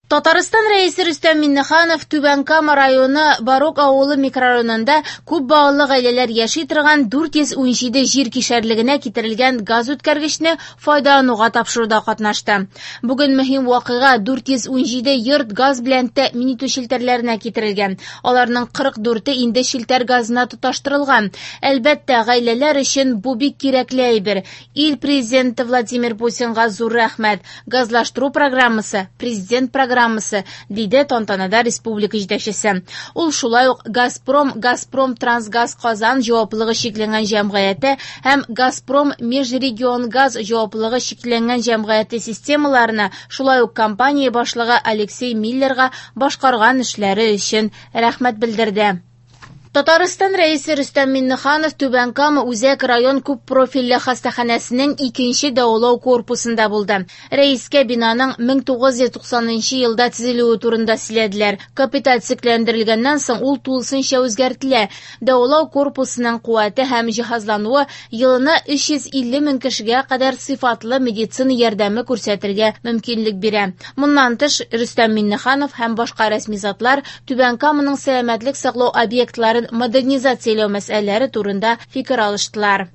Татарстан Рәисе Рөстәм Миңнеханов Түбән Кама районы Барок авылы микрорайонында күп балалы гаиләләр яши торган 417 җир кишәрлегенә китерелгән газ үткәргечне файдалануга тапшыруда катнашты. Бүген мөһим вакыйга 417 йорт газ белән тәэмин итү челтәрләренә китерелгән. Аларның 44-е инде челтәр газына тоташтырылган. Әлбәттә, гаиләләр өчен бу бик кирәкле әйбер. Ил Президенты Владимир Путинга зур рәхмәт. Газлаштыру программасы, президент программасы, диде тантанада республика җитәкчесе. Ул шулай ук Газпром, Газпром Трансгаз Казан җаваплылыгы чикләнгән җәмгыяте һәм Газпром Межрегионгаз җаваплылыгы чикләнгән җәмгыяте системаларына, шулай ук компания башлыгы Алексей Миллерга башкарган эшләре өчен рәхмәт белдерде. Татарстан Рәисе Рөстәм Миңнеханов Түбән Кама үзәк район күп профильле хастаханәсенең икенче дәвалау корпусында булды. Рәискә бинаның 1990 елда төзелүе турында сөйләделәр. Капиталь төзекләндерелгәннән соң ул тулысынча үзгәртелә. Дәвалау корпусының куәте һәм җиһазлануы елына 350 мең кешегә кадәр сыйфатлы медицина ярдәме күрсәтергә мөмкинлек бирә. Моннан тыш, Рөстәм Миңнеханов һәм башка рәсми затлар Түбән Каманың сәламәтлек саклау объектларын модернизацияләү мәсьәләләре турында фикер алыштылар.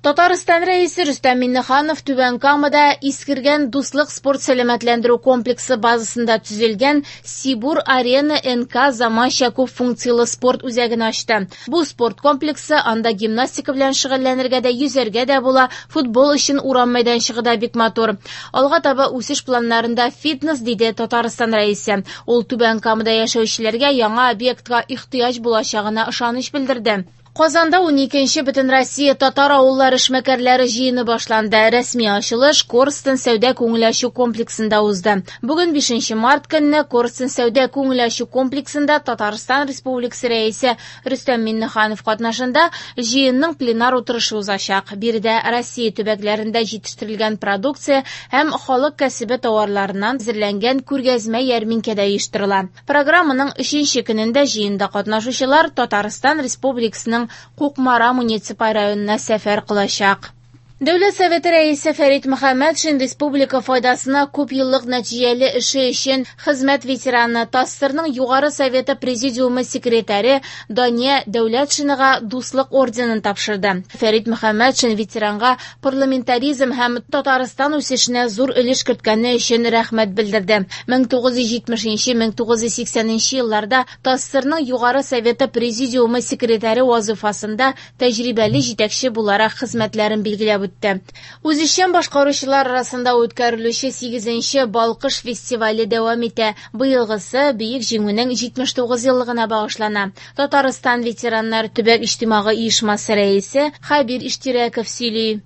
Татарстан Рәисе Рөстәм Миңнеханов Түбән Камада искергән Дуслык спорт сәламәтләндерү комплексы базасында төзелгән Сибур Арена НК заманча күп функцияле спорт үзәген ачты. Бу спорт комплексы, анда гимнастика белән шөгыльләнергә дә, йөзәргә дә була, футбол өчен урам мәйданчыгы да бик матур. Алга таба үсеш планнарында фитнес, диде Татарстан Рәисе. Ул Түбән Камада яшәүчеләргә яңа объектка ихтыяҗ булачагына ышаныч белдерде. Казанда 12нче Бөтенроссия татар авыллары эшмәкәрләре җыены башланды. Рәсми ачылыш Корстон сәүдә күңел ачу комплексында узды. Бүген 5 март көнне Корстон сәүдә күңел ачу комплексында Татарстан Республикасы Рәисе Рөстәм Миңнеханов катнашында җыенның пленар утырышы узачак. Биредә Россия төбәкләрендә җитештерелгән продукция һәм халык кәсебе тауарларыннан әзерләнгән күргәзмә ярминкә дә оештырыла. Программаның өченче көнендә җыенда катнашучылар Татарстан Республикасының Кукмара муниципаль районына сәфәр кылачак. Дәүләт Советы Рәисе Фәрит Мөхәммәтшин республика файдасына күп еллык нәтиҗәле эше өчен хезмәт ветераны, ТАССРның Югары Советы Президиумы секретаре Дания Дәүләтшинага Дуслык орденын тапшырды. Фәрит Мөхәммәтшин ветеранга парламентаризм һәм Татарстан үсешенә зур өлеш керткәне өчен рәхмәт белдерде. 1970-1980 елларда ТАССРның Югары Советы Президиумы секретаре вазыйфасында тәҗрибәле җитәкче буларак хезмәтләрен билгеләп үтте. Үзешчән башкаручылар арасында үткәрелүче 8нче Балкыш фестивале дәвам итә. Быелгысы Бөек Җиңүнең 79 еллыгына багышлана. Татарстан ветераннар төбәк иҗтимагый оешмасы рәисе Хәбир Иштирәков сөйли.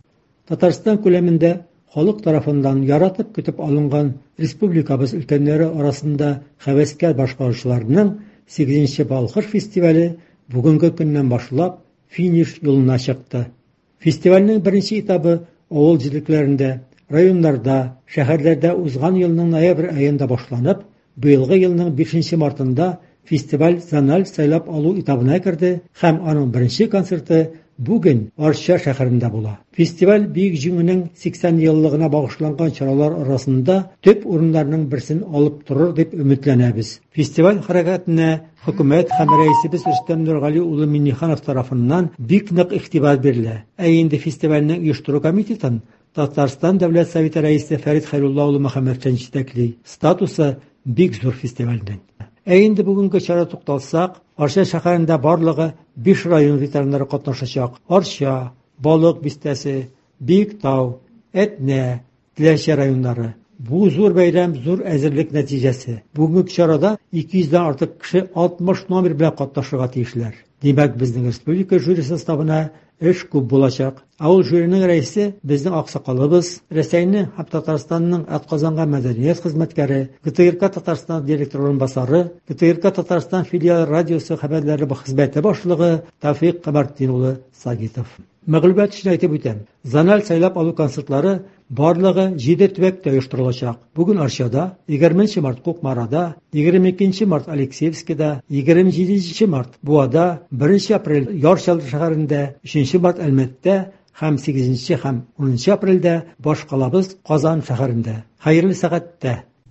Татарстан күләмендә халык тарафыннан яратып көтеп алынган республикабыз өлкәннәре арасында һәвәскәр башкаручыларның 8нче Балкыш фестивале бүгенге көннән башлап финиш юлына чыкты. Фестивальнең беренче этабы авыл җирлекләрендә, районнарда, шәһәрләрдә узган елның ноябрь аенда башланып, быелгы елның 5 мартында фестиваль зональ сайлап алу этабына керде һәм аның беренче концерты бүген Арча шәһәрендә була. Фестиваль Бөек Җиңүнең 80 еллыгына багышланган чаралар арасында төп урыннарның берсен алып торыр дип өметләнәбез. Фестиваль хәрәкәтенә хөкүмәт һәм рәисебез Рөстәм Нургали улы Миңнеханов тарафыннан бик нык игътибар бирелә. Ә инде фестивальнең оештыру комитетын Татарстан Дәүләт Советы рәисе Фәрит Хәйрулла улы Мөхәммәтшин җитәкли. Статусы бик зур фестивальнең. Ә инде бүгенге чара тукталсак, Арча шәһәрендә барлыгы 5 район ветераннары катнашачак. Арча, Балык бистәсе, Биектау, Әтнә, Теләче районнары. Бу зур бәйрәм зур әзерлек нәтиҗәсе. Бүгенге чарада 200 дән артык кеше 60 номер белән катнашырга тиешләр. Димәк, безнең республика жюри составына эш күп булачак. Ә ул жюриның рәисе безнең аксакалыбыз, Рәсәйнең һәм Татарстанның атказанган мәдәният хезмәткәре, ГТРК Татарстан директор урынбасары, ГТРК Татарстан филиалы радиосы хәбәрләре хезмәте башлыгы Тәүфик Камартдин улы Сагитов. Мәгълүмат өчен әйтеп үтәм, зональ сайлап алу концертлары барлыгы 7 төбәктә оештырылачак. Бүген Арчада, 20 март Кукмарада, 22 март Алексеевскида, 27 март Буада, 1 апрель Яр Чаллы шәһәрендә, 3 март Әлмәттә һәм 8 һәм 10 апрельдә башкалабыз Казан шәһәрендә. Хәерле сәгатьтә!